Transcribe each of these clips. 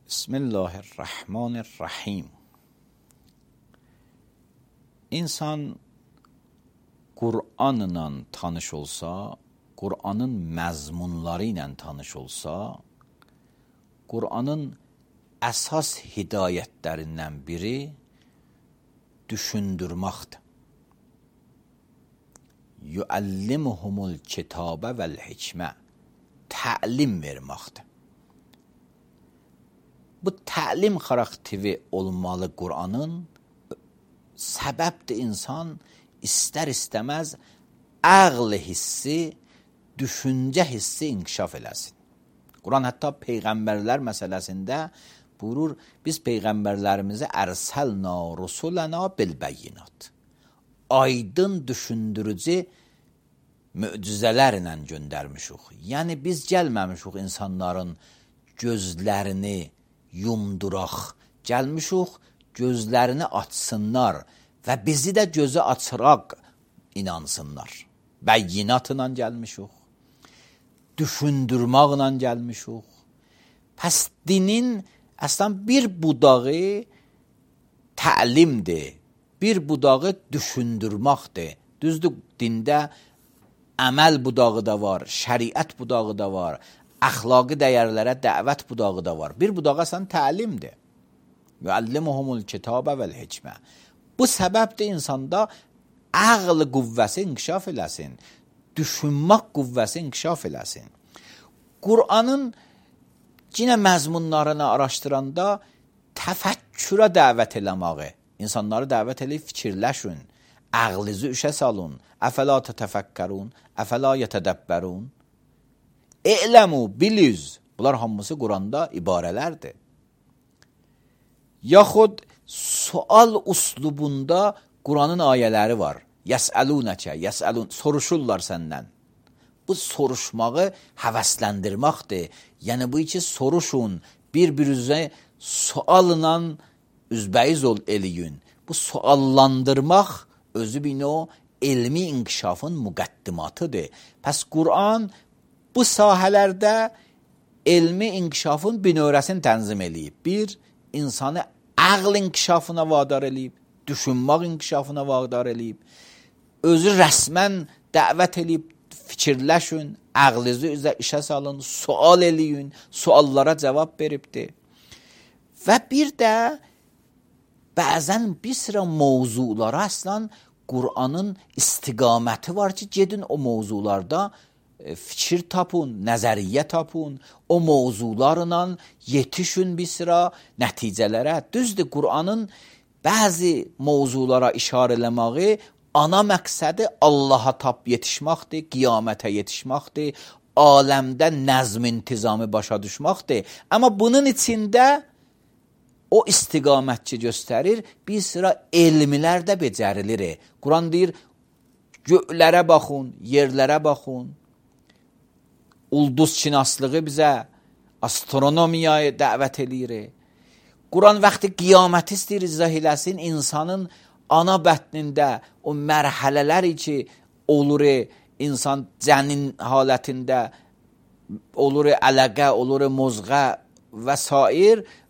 Bismillahirrahmanirrahim. İnsan Qur'anla tanış olsa, Qur'anın məzmunları ilə tanış olsa, Qur'anın əsas hidayətlərindən biri düşündürməkdir. Yuallimuhumul kitabə vəl hikmə, təlim verməkdir. Bu təlim xarakteri olmalı Qur'anın, səbəbdir insan istər-istəməz ağl hissi, düşüncə hissi inkişaf eləsin. Quran hətta peyğəmbərlər məsələsində buyurur, biz peyğəmbərlərimizi ərsəlna rusuləna bilbəyinat. Aydın düşündürücü möcüzələrlə göndərmişik. Yəni biz gəlməmişik insanların gözlərini yumduraq, gəlmişik gözlərini açsınlar və bizi də gözü açıraq inansınlar. Bəyinatla gəlmişik, düşündürməklə gəlmişik. Pəs dinin əslən bir budağı təlimdir, bir budağı düşündürməkdir. Düzdür, dində əməl budağı da var, şəriət budağı da var, əxlaqi dəyərlərə dəvət budağı da var. Bir budağı əslən təlimdir. Yuallimuhumul kitabə vəl hikmə. Bu səbəbdir insanda ağl qüvvəsi inkişaf eləsin, düşünmək qüvvəsi inkişaf eləsin. Qur'anın yenə məzmunlarını araşdıranda təfəkkürə dəvət eləməyi, insanları dəvət eləyib fikirləşin, ağlınızı işə salın, əfəla tətəfəkkərun, əfəla yətədəbbərun, e'ləmu, biliz, bunlar hamısı Quranda ibarələrdir. Yaxud sual uslubunda Quranın ayələri var. Yəsəlunəkə, soruşurlar səndən. Bu soruşmağı həvəsləndirməkdir. Yəni bu iki soruşun, bir-birinizə sualla üzbəyiz eləyin. Bu suallandırmaq özü bir o elmi inkişafın müqəddimatıdır. Pəs Quran bu sahələrdə elmi inkişafın binövrəsini tənzim eləyib. Bir, insanı ağl inkişafına vadar eləyib, düşünmək inkişafına vadar eləyib, özü rəsmən dəvət eləyib, fikirləşin, ağlınızı üzə işə salın, sual eləyin, suallara cavab veribdir. Və bir də bəzən bir sıra mövzulara əslən Qur'anın istiqaməti var ki, gedin o mövzularda fikir tapın, nəzəriyyə tapın, o mövzularla yetişin bir sıra nəticələrə. Düzdür, Qur'anın bəzi mövzulara işarə eləməyi ana məqsədi Allaha tap yetişməkdir, qiyamətə yetişməkdir, aləmdə nəzm intizamı başa düşməkdir. Amma bunun içində o istiqamətçi göstərir, bir sıra elmlər də becərilir. Quran deyir, göylərə baxın, yerlərə baxın, ulduz şinaslığı bizə, astronomiyaya dəvət eləyir. Quran vaxtı qiyaməti istəyir izah eləsin, insanın ana bətnində o mərhələlər ki olur, insan cənin halətində olur, ələqə, olur, mozğa və s.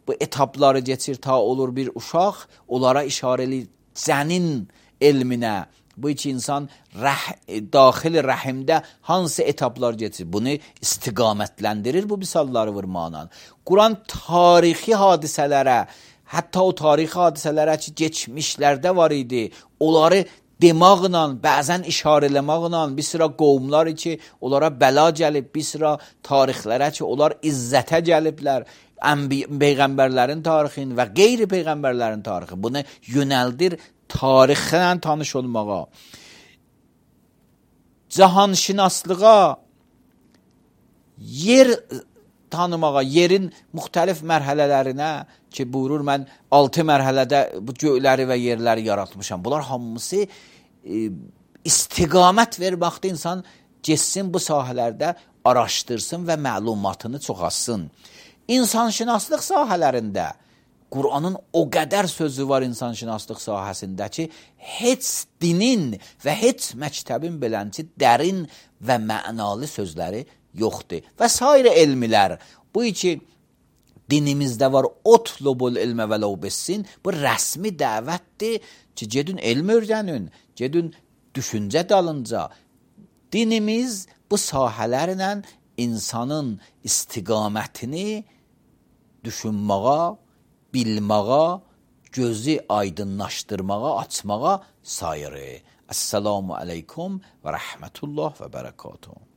Bu etapları geçir ta olur bir uşaq, onlara işarə eləyir cənin elminə. Bu iki insan daxil rəhimdə hansı etaplar geçir? Bunu istiqamətləndirir bu misalları vurmaqla. Quran tarixi hadisələrə, hətta o tarixi hadisələrə ki, geçmişlərdə var idi, onları demaqla, bəzən işarələmaqla, bir sıra qovumlar ki, onlara bəla gəlib, bir sıra tarixlərə ki, onlar izzətə gəliblər, peyğəmbərlərin tarixin və qeyri-peyğəmbərlərin tarixi. Bunu yönəldir tarixlə tanış olmağa, cahanşinaslığa, yer tanımağa, yerin müxtəlif mərhələlərinə ki, buyurur, mən 6 mərhələdə bu göyləri və yerləri yaratmışam. Bunlar hamısı istiqamət verməkdə insan geçsin bu sahələrdə araşdırsın və məlumatını çoxalsın. İnsanşinaslıq sahələrində Qur'anın o qədər sözü var insanşinaslıq sahəsində ki, heç dinin və heç məktəbin belənci dərin və mənalı sözləri yoxdur. Və s. elmlər, bu iki dinimizdə var, otlubul ilmə və ləv bissin. Bu rəsmi dəvətdir ki, gedin elm öyrənin, gedin düşüncə dalınca. Dinimiz bu sahələrlə insanın istiqamətini düşünməyə, bilməyə, gözü aydınlaşdırmağa, açmağa sayırı. Esselamu aleykum və rəhmətullah və bərəkatuhu.